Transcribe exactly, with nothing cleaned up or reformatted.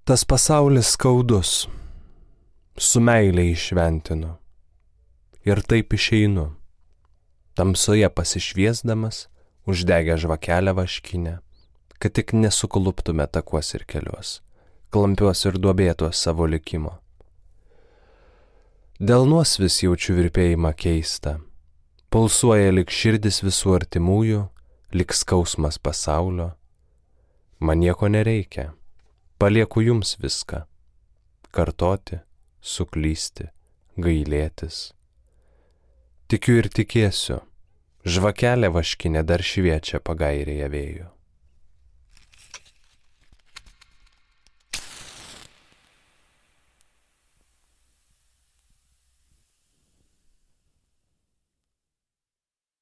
Tas pasaulis skaudus, su meilė išventinu, ir taip išeinu, tamsoje pasišviesdamas, uždegę žvakelę vaškinę, kad tik nesukluptume takuos ir keliuos, klampiuos ir duobėtuos savo likimo. Delnuos vis jaučiu virpėjimą keistą, pulsuoja lik širdis visų artimųjų, lik skausmas pasaulio. Man nieko nereikia, palieku jums viską, kartoti, suklysti, gailėtis. Tikiu ir tikėsiu, žvakelė vaškinė dar šviečia pagairėje vėjo.